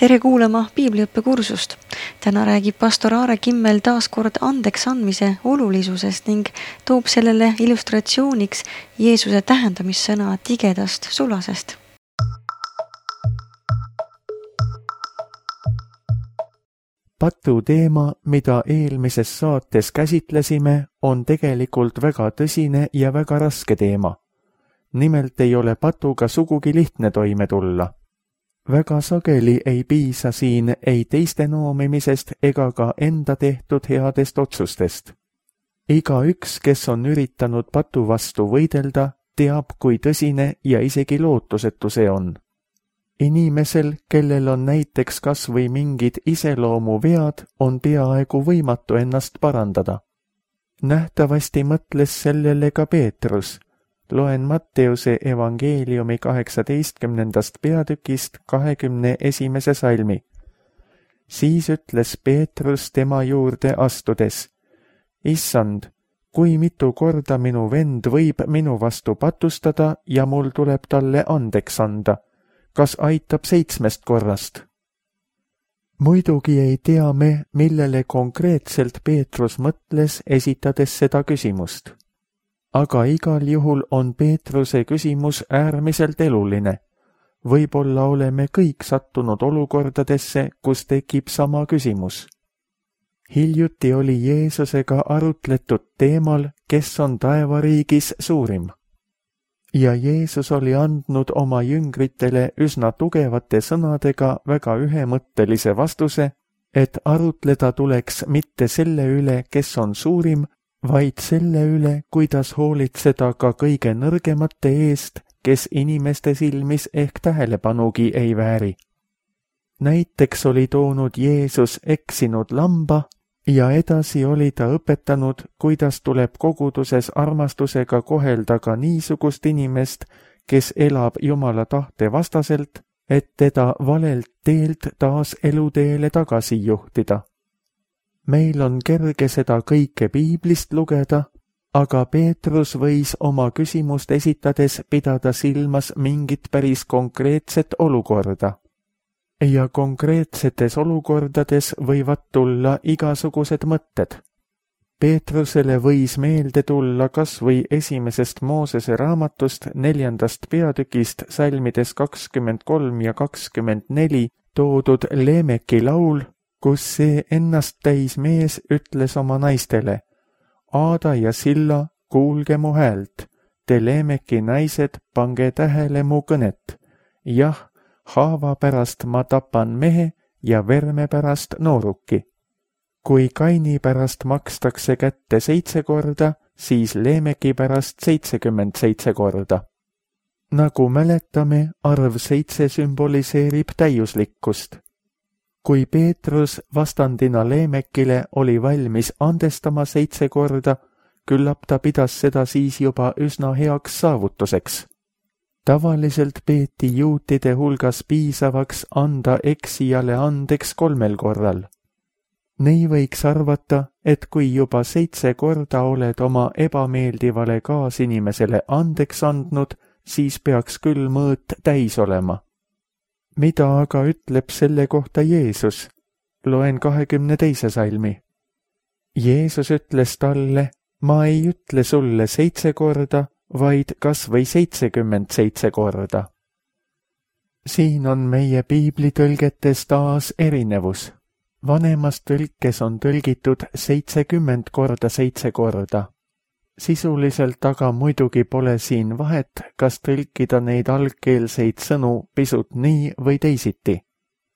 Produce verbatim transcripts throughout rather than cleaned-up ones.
Tere kuulama piibliõppekursust. Täna räägib pastor Aare Kimmel taas kord andeks andmise olulisusest ning toob sellele illustratsiooniks Jeesuse tähendamissõna tigedast sulasest. Patu teema, mida eelmises saates käsitlesime, on tegelikult väga tõsine ja väga raske teema. Nimelt ei ole patuga sugugi lihtne toime tulla. Väga sageli ei piisa siin ei teiste noomimisest ega ka enda tehtud headest otsustest. Iga üks, kes on üritanud patu vastu võidelda, teab, kui tõsine ja isegi lootusetu see on. Inimesel, kellel on näiteks kas või mingid iseloomu vead, on peaaegu võimatu ennast parandada. Nähtavasti mõtles sellele ka Peetrus. Loen Matteuse evangeeliumi kaheksateistkümnendast peatükist kahekümne esimese salmi. Siis ütles Peetrus tema juurde astudes: Issand, kui mitu korda minu vend võib minu vastu patustada ja mul tuleb talle andeks anda? Kas aitab seitsmest korrast? Muidugi ei tea me, millele konkreetselt Peetrus mõtles, esitades seda küsimust. Aga igal juhul on Peetruse küsimus äärmiselt eluline. Võib-olla oleme kõik sattunud olukordadesse, kus tekib sama küsimus. Hiljuti oli Jeesusega arutletud teemal, kes on taevariigis suurim. Ja Jeesus oli andnud oma jüngritele üsna tugevate sõnadega väga ühemõttelise vastuse, et arutleda tuleks mitte selle üle, kes on suurim, vaid selle üle, kuidas hoolitseda ka kõige nõrgemate eest, kes inimeste silmis ehk tähelepanugi ei vääri. Näiteks oli toonud Jeesus eksinud lamba ja edasi oli ta õpetanud, kuidas tuleb koguduses armastusega kohelda ka niisugust inimest, kes elab Jumala tahte vastaselt, et teda valelt teelt taas eluteele tagasi juhtida. Meil on kerge seda kõike piiblist lugeda, aga Peetrus võis oma küsimust esitades pidada silmas mingit päris konkreetset olukorda. Ja konkreetsetes olukordades võivad tulla igasugused mõtted. Peetrusele võis meelde tulla kas või esimesest Moosese raamatust neljandast peatükist salmides kakskümmend kolm ja kakskümmend neli toodud Leemeki laul, kus see ennast täis mees ütles oma naistele: Aada ja Silla, kuulge mu häält, te Leemeki naised, pange tähele mu kõnet. Jah, haava pärast ma tapan mehe ja verme pärast nooruki. Kui Kaini pärast makstakse kätte seitse korda, siis Leemeki pärast seitsekümmend seitse korda. Nagu mäletame, arv seitse sümboliseerib täiuslikkust. Kui Peetrus vastandina Leemekile oli valmis andestama seitse korda, küllap ta pidas seda siis juba üsna heaks saavutuseks. Tavaliselt peeti juutide hulgas piisavaks anda eksijale andeks kolmel korral. Nii võiks arvata, et kui juba seitse korda oled oma ebameeldivale kaasinimesele andeks andnud, siis peaks küll mõõt täis olema. Mida aga ütleb selle kohta Jeesus? Loen kahekümne teise salmi. Jeesus ütles talle: Ma ei ütle sulle seitse korda, vaid kas või seitsekümmend seitse korda. Siin on meie piiblitõlgetes taas erinevus. Vanemas tõlkes on tõlgitud seitsekümmend korda seitse korda. Sisuliselt aga muidugi pole siin vahet, kas tõlkida neid algkeelseid sõnu pisut nii või teisiti.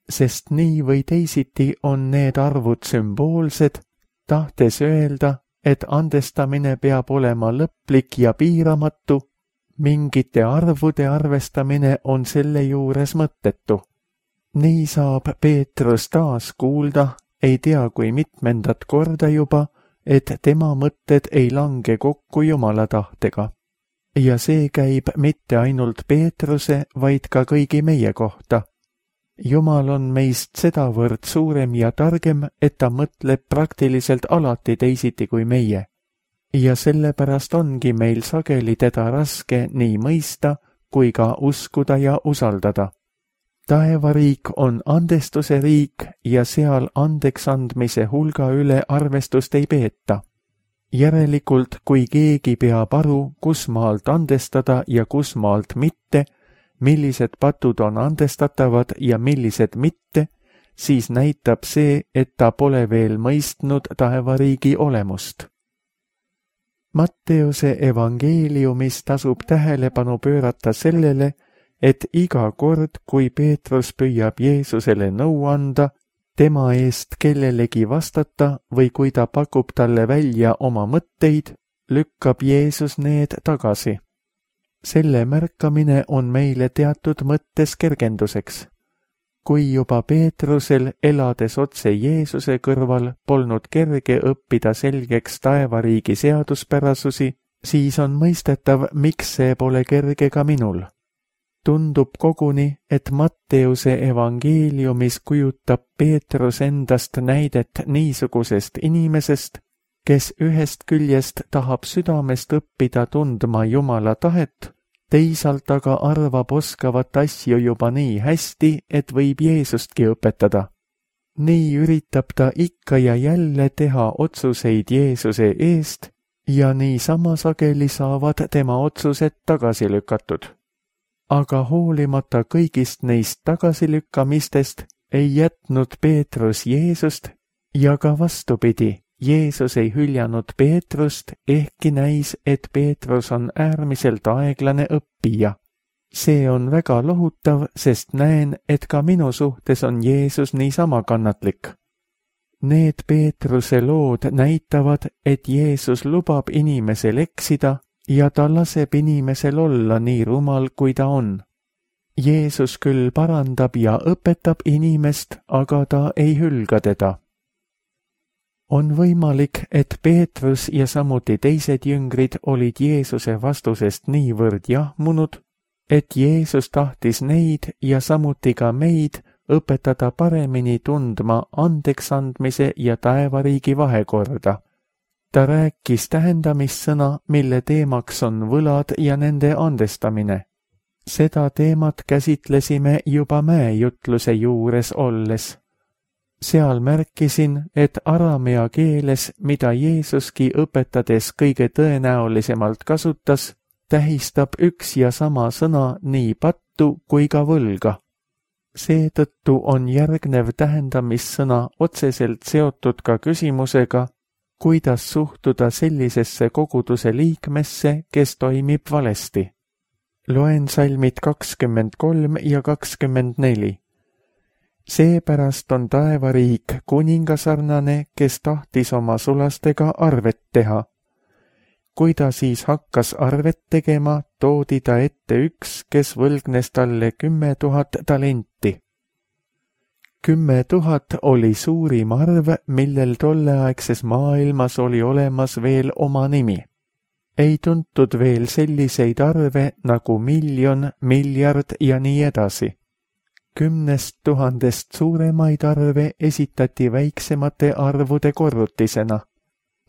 Sest nii või teisiti on need arvud sümboolsed, tahtes öelda, et andestamine peab olema lõplik ja piiramatu, mingite arvude arvestamine on selle juures mõttetu. Nii saab Peetrus taas kuulda, ei tea kui mitmendat korda juba, et tema mõtted ei lange kokku Jumala tahtega. Ja see käib mitte ainult Peetruse, vaid ka kõigi meie kohta. Jumal on meist sedavõrd suurem ja targem, et ta mõtleb praktiliselt alati teisiti kui meie. Ja sellepärast ongi meil sageli teda raske nii mõista kui ka uskuda ja usaldada. taevariik on andestuse riik ja seal andeks andmise hulga üle arvestust ei peeta. Järelikult, kui keegi peab aru, kus maalt andestada ja kus maalt mitte, millised patud on andestatavad ja millised mitte, siis näitab see, et ta pole veel mõistnud taevariigi olemust. Matteuse evangeeliumis tasub tähelepanu pöörata sellele, et iga kord, kui Peetrus püüab Jeesusele nõu anda, tema eest kellelegi vastata või kui ta pakub talle välja oma mõtteid, lükkab Jeesus need tagasi. Selle märkamine on meile teatud mõttes kergenduseks. Kui juba Peetrusel, elades otse Jeesuse kõrval, polnud kerge õppida selgeks taevariigi seaduspärasusi, siis on mõistetav, miks see pole kerge ka minul. Tundub koguni, et Matteuse evangeeliumis kujutab Peetrus endast näidet niisugusest inimesest, kes ühest küljest tahab südamest õppida tundma Jumala tahet, teisalt aga arvab oskavat asju juba nii hästi, et võib Jeesustki õpetada. Nii üritab ta ikka ja jälle teha otsuseid Jeesuse eest ja niisama sageli saavad tema otsused tagasi lükatud. Aga hoolimata kõigist neist tagasilükkamistest ei jätnud Peetrus Jeesust ja ka vastupidi, Jeesus ei hüljanud Peetrust, ehkki näis, et Peetrus on äärmiselt aeglane õppija. See on väga lohutav, sest näen, et ka minu suhtes on Jeesus niisama kannatlik. Need Peetruse lood näitavad, et Jeesus lubab inimesel eksida ja ta laseb inimesel olla nii rumal, kui ta on. Jeesus küll parandab ja õpetab inimest, aga ta ei hülga teda. On võimalik, et Peetrus ja samuti teised jüngrid olid Jeesuse vastusest niivõrd jahmunud, et Jeesus tahtis neid ja samuti ka meid õpetada paremini tundma andeksandmise ja taevariigi vahekorda. Ta rääkis tähendamissõna, mille teemaks on võlad ja nende andestamine. Seda teemat käsitlesime juba mäejutluse juures olles. Seal märkisin, et aramea keeles, mida Jeesuski õpetades kõige tõenäolisemalt kasutas, tähistab üks ja sama sõna nii pattu kui ka võlga. Seetõttu on järgnev tähendamissõna otseselt seotud ka küsimusega, kuidas suhtuda sellisesse koguduse liikmesse, kes toimib valesti. Loen salmid kakskümmend kolm ja kakskümmend neli. Seepärast on taevariik kuningasarnane, kes tahtis oma sulastega arvet teha. Kui ta siis hakkas arvet tegema, toodi ta ette üks, kes võlgnes talle kümme tuhat talenti. Kümme tuhat oli suurim arv, millel tolleaegses maailmas oli olemas veel oma nimi. Ei tuntud veel selliseid arve nagu miljon, miljard ja nii edasi. Kümnest tuhandest suuremaid arve esitati väiksemate arvude korrutisena.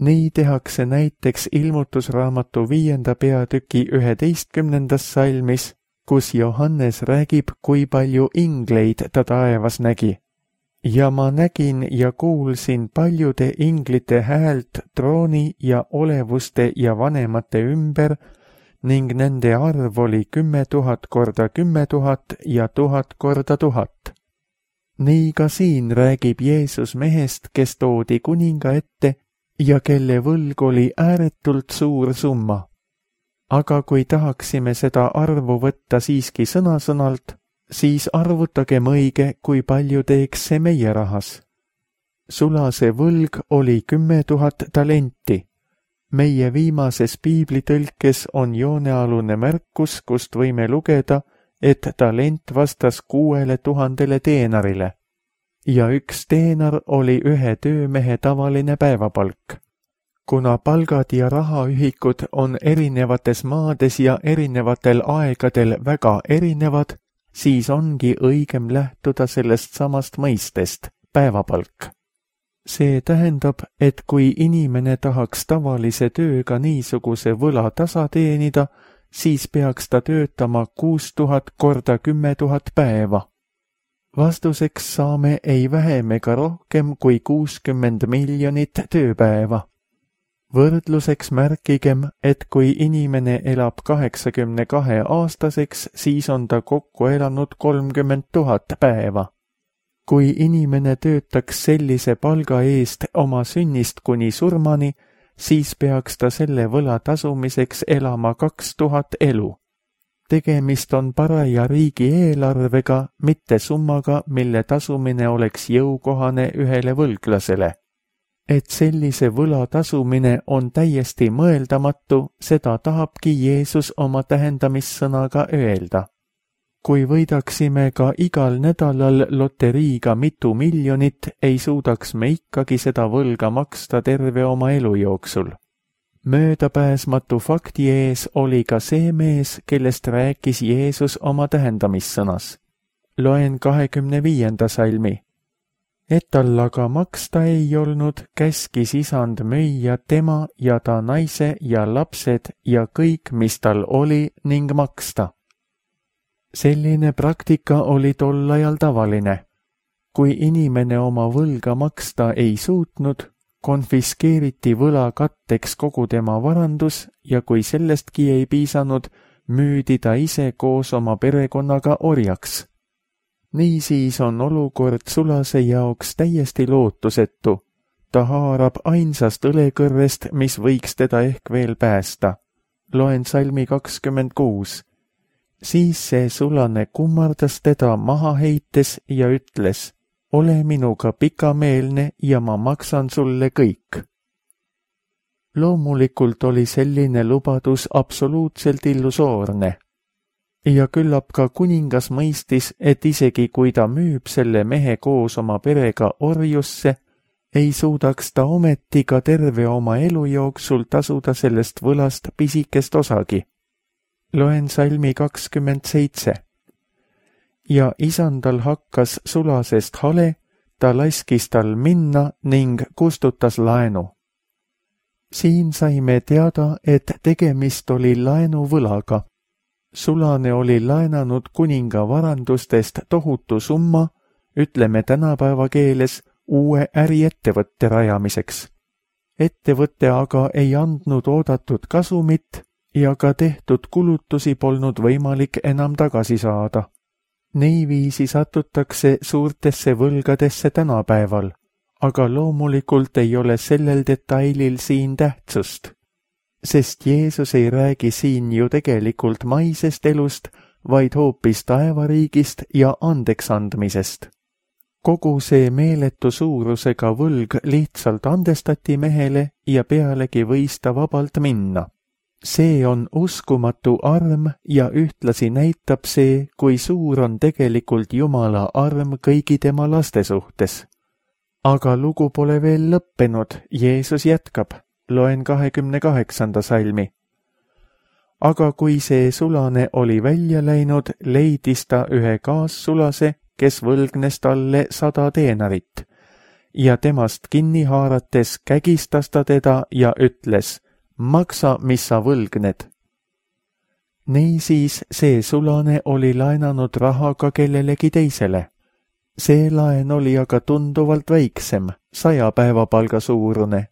Nii tehakse näiteks ilmutusraamatu viienda peatüki üheteistkümnendas salmis, kus Johannes räägib, kui palju ingleid ta taevas nägi. Ja ma nägin ja kuulsin paljude inglite häält trooni ja olevuste ja vanemate ümber, ning nende arv oli kümme tuhat korda kümme tuhat ja tuhat korda tuhat. Nii ka siin räägib Jeesus mehest, kes toodi kuninga ette ja kelle võlg oli ääretult suur summa. Aga kui tahaksime seda arvu võtta siiski sõna-sõnalt, siis arvutagem õige, kui palju teeks see meie rahas. Sulase võlg oli kümme tuhat talenti. Meie viimases piiblitõlkes on joonealune märkus, kust võime lugeda, et talent vastas kuuele tuhandele teenarile. Ja üks teenar oli ühe töömehe tavaline päevapalk. Kuna palgad ja rahaühikud on erinevates maades ja erinevatel aegadel väga erinevad, siis ongi õigem lähtuda sellest samast mõistest, päevapalk. See tähendab, et kui inimene tahaks tavalise tööga niisuguse võla tasa teenida, siis peaks ta töötama kuus tuhat korda kümme tuhat päeva. Vastuseks saame ei vähem ega rohkem kui kuuskümmend miljonit tööpäeva. Võrdluseks märkigem, et kui inimene elab kaheksakümne kahe aastaseks, siis on ta kokku elanud kolmkümmend tuhat päeva. Kui inimene töötaks sellise palga eest oma sünnist kuni surmani, siis peaks ta selle võla tasumiseks elama kaks tuhat elu. Tegemist on paraja riigieelarvega, mitte summaga, mille tasumine oleks jõukohane ühele võlglasele. Et sellise võla tasumine on täiesti mõeldamatu, seda tahabki Jeesus oma tähendamissõnaga öelda. Kui võidaksime ka igal nädalal loteriiga mitu miljonit, ei suudaks me ikkagi seda võlga maksta terve oma elu jooksul. Möödapääsmatu fakti ees oli ka see mees, kellest rääkis Jeesus oma tähendamissõnas. Loen kahekümne viienda salmi. Et tal aga maksta ei olnud, käskis isand müüa tema ja ta naise ja lapsed ja kõik, mis tal oli, ning maksta. Selline praktika oli tol ajal tavaline. Kui inimene oma võlga maksta ei suutnud, konfiskeeriti võla katteks kogu tema varandus ja kui sellestki ei piisanud, müüdi ta ise koos oma perekonnaga orjaks. Niisiis on olukord sulase jaoks täiesti lootusetu. Ta haarab ainsast õlekõrrest, mis võiks teda ehk veel päästa. Loen salmi kakskümmend kuus. Siis see sulane kummardas teda maha heites ja ütles, ole minuga pikameelne ja ma maksan sulle kõik. Loomulikult oli selline lubadus absoluutselt illusoorne. Ja küllap ka kuningas mõistis, et isegi kui ta müüb selle mehe koos oma perega orjusse, ei suudaks ta ometi ka terve oma elu jooksul tasuda sellest võlast pisikest osagi. Loen salmi kakskümmend seitse. Ja isandal hakkas sulasest hale, ta laskis tal minna ning kustutas laenu. Siin saime teada, et tegemist oli laenuvõlaga. Sulane oli laenanud kuninga varandustest tohutu summa, ütleme tänapäeva keeles, uue äriettevõtte rajamiseks. Ettevõtte aga ei andnud oodatud kasumit ja ka tehtud kulutusi polnud võimalik enam tagasi saada. Niiviisi satutakse suurtesse võlgadesse tänapäeval, aga loomulikult ei ole sellel detailil siin tähtsust. Sest Jeesus ei räägi siin ju tegelikult maisest elust, vaid hoopis taevariigist ja andeksandmisest. Kogu see meeletu suurusega võlg lihtsalt andestati mehele ja pealegi võis ta vabalt minna. See on uskumatu arm ja ühtlasi näitab see, kui suur on tegelikult Jumala arm kõigi tema laste suhtes. Aga lugu pole veel lõppenud, Jeesus jätkab. Loen kahekümne kaheksanda salmi. Aga kui see sulane oli välja läinud, leidis ta ühe kaassulase, kes võlgnes talle sada teenarit. Ja temast kinni haarates kägistas ta teda ja ütles, maksa, mis sa võlgned. Niisiis see sulane oli laenanud raha ka kellelegi teisele. See laen oli aga tunduvalt väiksem, saja päevapalga suurune.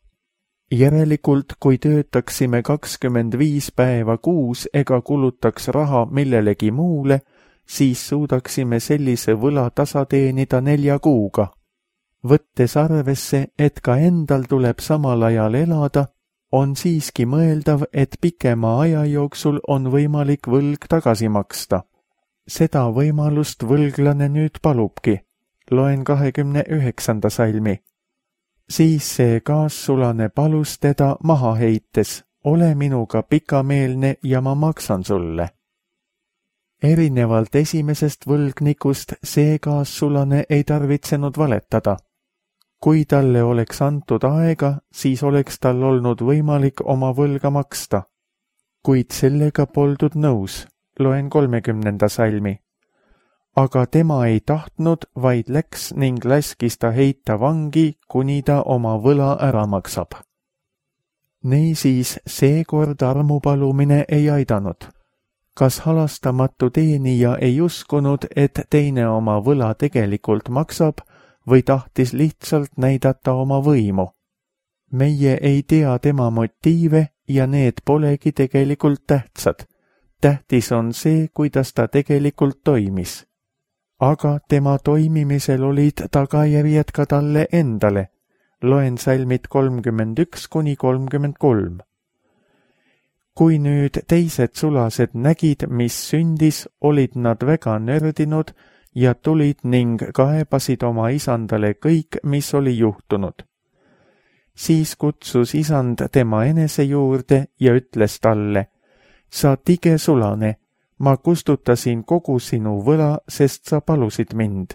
Järelikult, kui töötaksime kakskümmend viis päeva kuus ega kulutaks raha millelegi muule, siis suudaksime sellise võla tasa teenida nelja kuuga. Võttes arvesse, et ka endal tuleb samal ajal elada, on siiski mõeldav, et pikema aja jooksul on võimalik võlg tagasi maksta. Seda võimalust võlglane nüüd palubki. Loen kahekümne üheksanda salmi. Siis see kaassulane palus teda maha heites, ole minuga pikameelne ja ma maksan sulle. Erinevalt esimesest võlgnikust see kaassulane ei tarvitsenud valetada. Kui talle oleks antud aega, siis oleks tal olnud võimalik oma võlga maksta. Kuid sellega poldud nõus, loen kolmekümnenda salmi. Aga tema ei tahtnud, vaid läks ning laskis ta heita vangi, kuni ta oma võla ära maksab. Niisiis seekord armupalumine ei aidanud. Kas halastamatu teenija ei uskunud, et teine oma võla tegelikult maksab või tahtis lihtsalt näidata oma võimu? Meie ei tea tema motiive ja need polegi tegelikult tähtsad. Tähtis on see, kuidas ta tegelikult toimis. Aga tema toimimisel olid tagajärjed ka talle endale. Loen salmid kolmkümmend üks kuni kolmkümmend kolm. Kui nüüd teised sulased nägid, mis sündis, olid nad väga nördinud ja tulid ning kaebasid oma isandale kõik, mis oli juhtunud. Siis kutsus isand tema enese juurde ja ütles talle, sa tige sulane, ma kustutasin kogu sinu võla, sest sa palusid mind.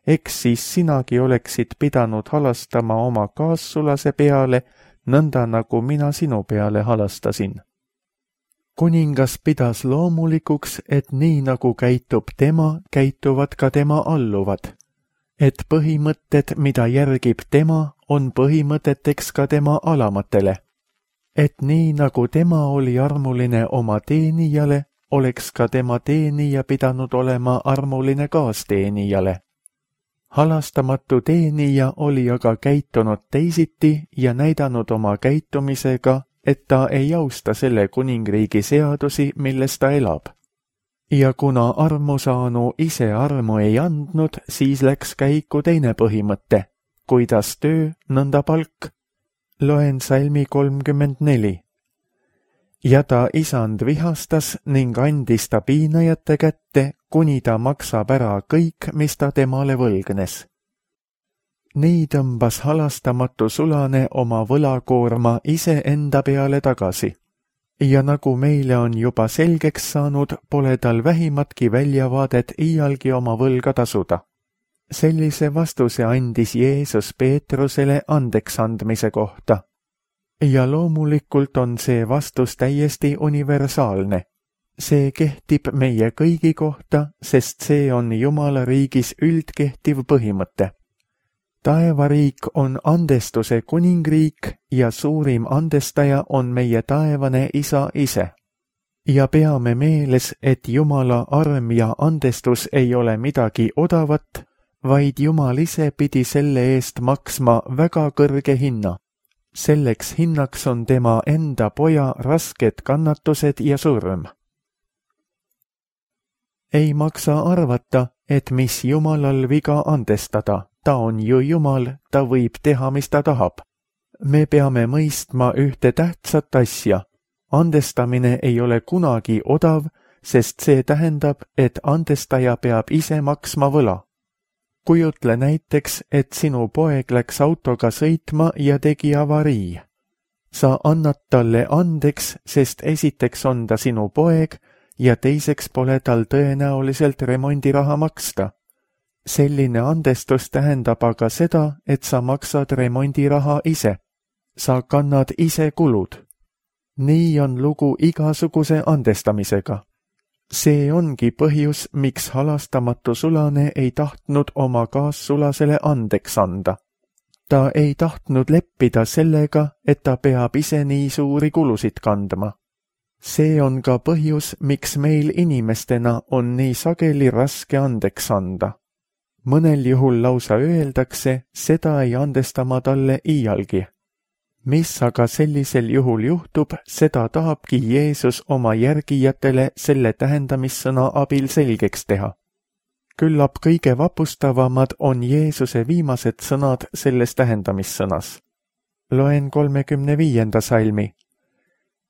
Eks siis sinagi oleksid pidanud halastama oma kaassulase peale, nõnda nagu mina sinu peale halastasin. Kuningas pidas loomulikuks, et nii nagu käitub tema, käituvad ka tema alluvad. Et põhimõtted, mida järgib tema, on põhimõteteks ka tema alamatele. Et nii nagu tema oli armuline oma teenijale, oleks ka tema teenija pidanud olema armuline kaasteenijale. Halastamatu teenija oli aga käitunud teisiti ja näidanud oma käitumisega, et ta ei austa selle kuningriigi seadusi, milles ta elab. Ja kuna armusaanu ise armu ei andnud, siis läks käiku teine põhimõte. Kuidas töö, nõnda palk. Loen salmi kolmkümmend neli. Ja ta isand vihastas ning andis ta piinajate kätte, kuni ta maksab ära kõik, mis ta temale võlgnes. Nii tõmbas halastamatu sulane oma võlakoorma ise enda peale tagasi. Ja nagu meile on juba selgeks saanud, pole tal vähimatki väljavaadet iialgi oma võlga tasuda. Sellise vastuse andis Jeesus Peetrusele andeks andmise kohta. Ja loomulikult on see vastus täiesti universaalne. See kehtib meie kõigi kohta, sest see on Jumala riigis üldkehtiv põhimõte. Taevariik on andestuse kuningriik ja suurim andestaja on meie taevane isa ise. Ja peame meeles, et Jumala arm ja andestus ei ole midagi odavat, vaid Jumal ise pidi selle eest maksma väga kõrge hinna. Selleks hinnaks on tema enda poja rasked kannatused ja surm. Ei maksa arvata, et mis Jumalal viga andestada. Ta on ju Jumal, ta võib teha, mis ta tahab. Me peame mõistma ühte tähtsat asja. Andestamine ei ole kunagi odav, sest see tähendab, et andestaja peab ise maksma võla. Kujutle näiteks, et sinu poeg läks autoga sõitma ja tegi avarii. Sa annad talle andeks, sest esiteks on ta sinu poeg ja teiseks pole tal tõenäoliselt remondiraha maksta. Selline andestus tähendab aga seda, et sa maksad remondiraha ise. Sa kannad ise kulud. Nii on lugu igasuguse andestamisega. See ongi põhjus, miks halastamatu sulane ei tahtnud oma kaassulasele andeks anda. Ta ei tahtnud leppida sellega, et ta peab ise nii suuri kulusid kandma. See on ka põhjus, miks meil inimestena on nii sageli raske andeks anda. Mõnel juhul lausa öeldakse, seda ei andesta ma talle iialgi. Mis aga sellisel juhul juhtub, seda tahabki Jeesus oma järgijatele selle tähendamissõna abil selgeks teha. Küllap kõige vapustavamad on Jeesuse viimased sõnad selles tähendamissõnas. Loen kolmekümne viienda salmi.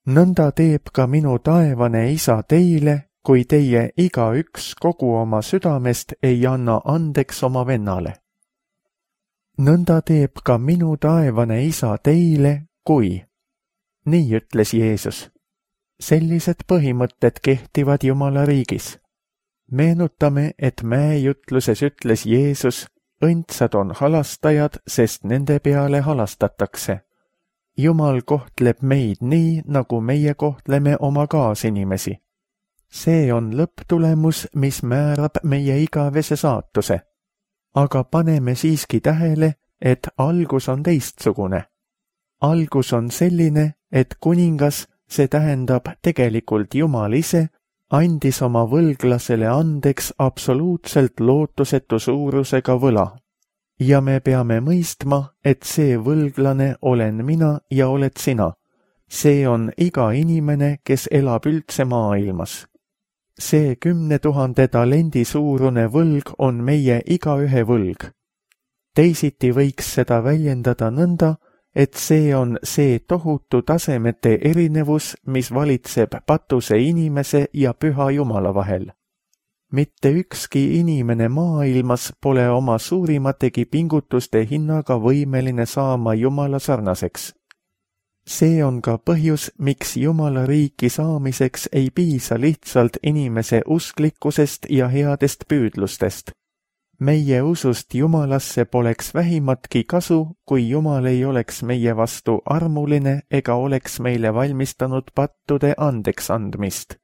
Nõnda teeb ka minu taevane isa teile, kui teie igaüks kogu oma südamest ei anna andeks oma vennale. Nõnda teeb ka minu taevane isa teile, kui. Nii ütles Jeesus. Sellised põhimõtted kehtivad Jumala riigis. Meenutame, et mäejutluses ütles Jeesus, õndsad on halastajad, sest nende peale halastatakse. Jumal kohtleb meid nii, nagu meie kohtleme oma kaasinimesi. See on lõpptulemus, mis määrab meie igavese saatuse. Aga paneme siiski tähele, et algus on teistsugune. Algus on selline, et kuningas, see tähendab tegelikult Jumal ise, andis oma võlglasele andeks absoluutselt lootusetu suurusega võla. Ja me peame mõistma, et see võlglane olen mina ja oled sina. See on iga inimene, kes elab üldse maailmas. See kümne tuhande talendi suurune võlg on meie igaühe võlg. Teisiti võiks seda väljendada nõnda, et see on see tohutu tasemete erinevus, mis valitseb patuse inimese ja püha Jumala vahel. Mitte ükski inimene maailmas pole oma suurimategi pingutuste hinnaga võimeline saama Jumala sarnaseks. See on ka põhjus, miks Jumala riiki saamiseks ei piisa lihtsalt inimese usklikkusest ja headest püüdlustest. Meie usust Jumalasse poleks vähimatki kasu, kui Jumal ei oleks meie vastu armuline ega oleks meile valmistanud pattude andeks andmist.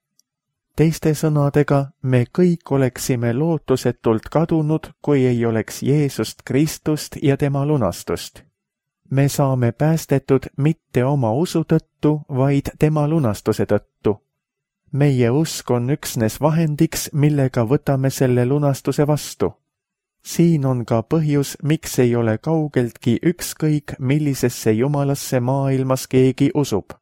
Teiste sõnadega, me kõik oleksime lootusetult kadunud, kui ei oleks Jeesust Kristust ja tema lunastust. Me saame päästetud mitte oma usu tõttu, vaid tema lunastuse tõttu. Meie usk on üksnes vahendiks, millega võtame selle lunastuse vastu. Siin on ka põhjus, miks ei ole kaugeltki ükskõik, millisesse Jumalasse maailmas keegi usub.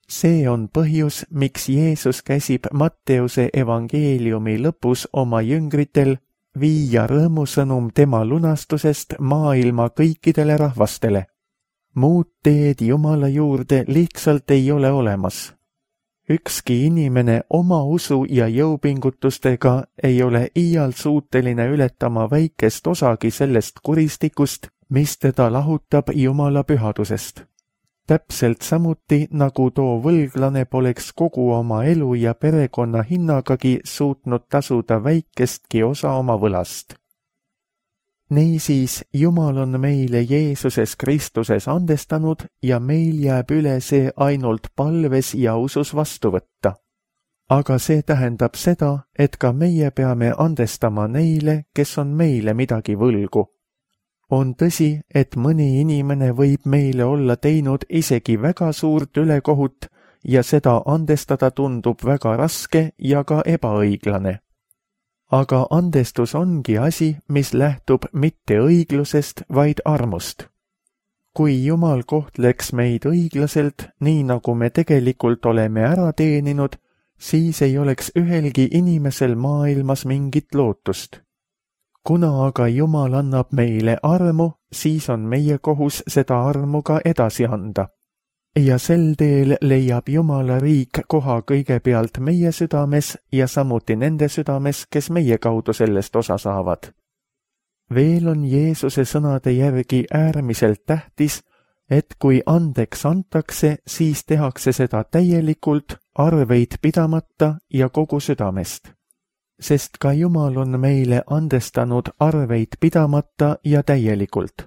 See on põhjus, miks Jeesus käsib Matteuse evangeeliumi lõpus oma jüngritel viia rõõmusõnum tema lunastusest maailma kõikidele rahvastele. Muud teed Jumala juurde lihtsalt ei ole olemas. Ükski inimene oma usu ja jõupingutustega ei ole iial suuteline ületama väikest osagi sellest kuristikust, mis teda lahutab Jumala pühadusest. Täpselt samuti, nagu too võlglane poleks kogu oma elu ja perekonna hinnagagi suutnud tasuda väikestki osa oma võlast. Niisiis, Jumal on meile Jeesuses Kristuses andestanud ja meil jääb üle see ainult palves ja usus vastu võtta. Aga see tähendab seda, et ka meie peame andestama neile, kes on meile midagi võlgu. On tõsi, et mõni inimene võib meile olla teinud isegi väga suurt ülekohut ja seda andestada tundub väga raske ja ka ebaõiglane. Aga andestus ongi asi, mis lähtub mitte õiglusest, vaid armust. Kui Jumal kohtleks meid õiglaselt, nii nagu me tegelikult oleme ära teeninud, siis ei oleks ühelgi inimesel maailmas mingit lootust. Kuna aga Jumal annab meile armu, siis on meie kohus seda armu ka edasi anda. Ja sel teel leiab Jumala riik koha kõigepealt meie südames ja samuti nende südames, kes meie kaudu sellest osa saavad. Veel on Jeesuse sõnade järgi äärmiselt tähtis, et kui andeks antakse, siis tehakse seda täielikult, arveid pidamata ja kogu südamest. Sest ka Jumal on meile andestanud arveid pidamata ja täielikult.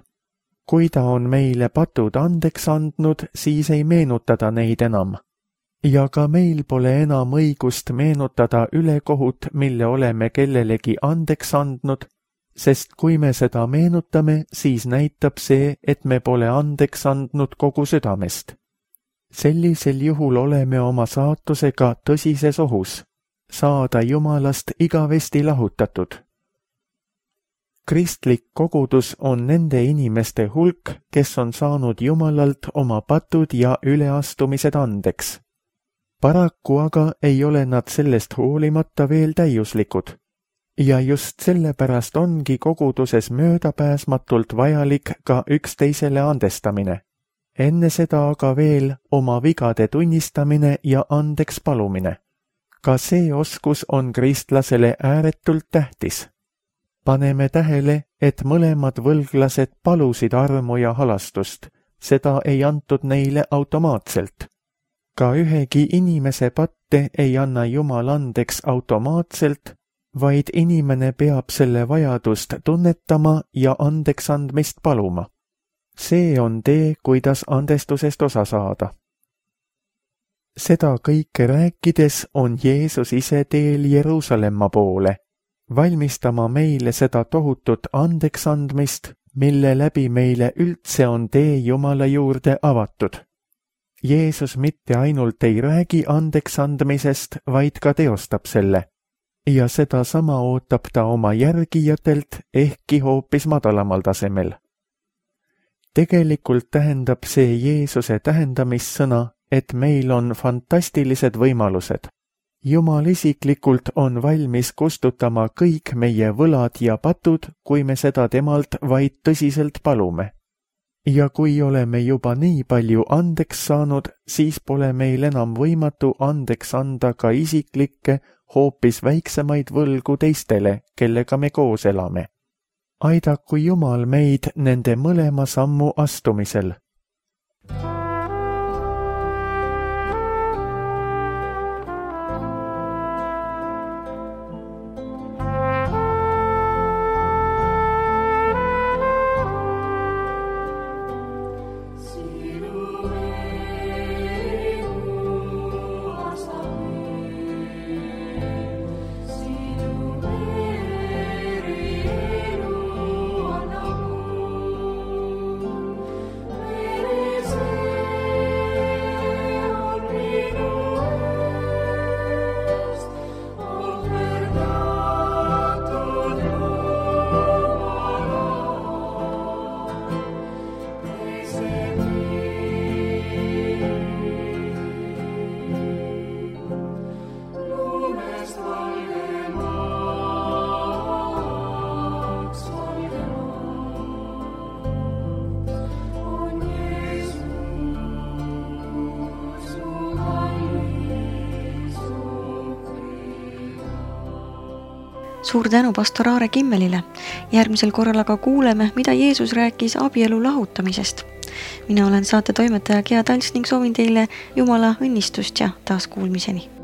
Kui ta on meile patud andeks andnud, siis ei meenutada neid enam. Ja ka meil pole enam õigust meenutada ülekohut, mille oleme kellelegi andeks andnud, sest kui me seda meenutame, siis näitab see, et me pole andeks andnud kogu südamest. Sellisel juhul oleme oma saatusega tõsises ohus, saada Jumalast igavesti lahutatud. Kristlik kogudus on nende inimeste hulk, kes on saanud Jumalalt oma patud ja üleastumised andeks. Paraku aga ei ole nad sellest hoolimata veel täiuslikud. Ja just sellepärast ongi koguduses möödapääsmatult vajalik ka üksteisele andestamine. Enne seda aga veel oma vigade tunnistamine ja andeks palumine. Ka see oskus on kristlasele ääretult tähtis. Paneme tähele, et mõlemad võlglased palusid armu ja halastust, seda ei antud neile automaatselt. Ka ühegi inimese patte ei anna Jumal andeks automaatselt, vaid inimene peab selle vajadust tunnetama ja andeks andmist paluma. See on tee, kuidas andestusest osa saada. Seda kõike rääkides on Jeesus ise teel Jeruusalemma poole, valmistama meile seda tohutut andeks andmist, mille läbi meile üldse on tee Jumala juurde avatud. Jeesus mitte ainult ei räägi andeks andmisest, vaid ka teostab selle. Ja seda sama ootab ta oma järgijatelt, ehkki hoopis madalamal tasemel. Tegelikult tähendab see Jeesuse tähendamissõna, et meil on fantastilised võimalused. Jumal isiklikult on valmis kustutama kõik meie võlad ja patud, kui me seda temalt vaid tõsiselt palume. Ja kui oleme juba nii palju andeks saanud, siis pole meil enam võimatu andeks anda ka isiklikke, hoopis väiksemaid võlgu teistele, kellega me koos elame. Aidaku Jumal meid nende mõlema sammu astumisel. Suur tänu pastor Aare Kimmelile. Järgmisel korral aga kuuleme, mida Jeesus rääkis abielu lahutamisest. Mina olen saate toimetaja Gea Tals ning soovin teile Jumala õnnistust ja taas kuulmiseni.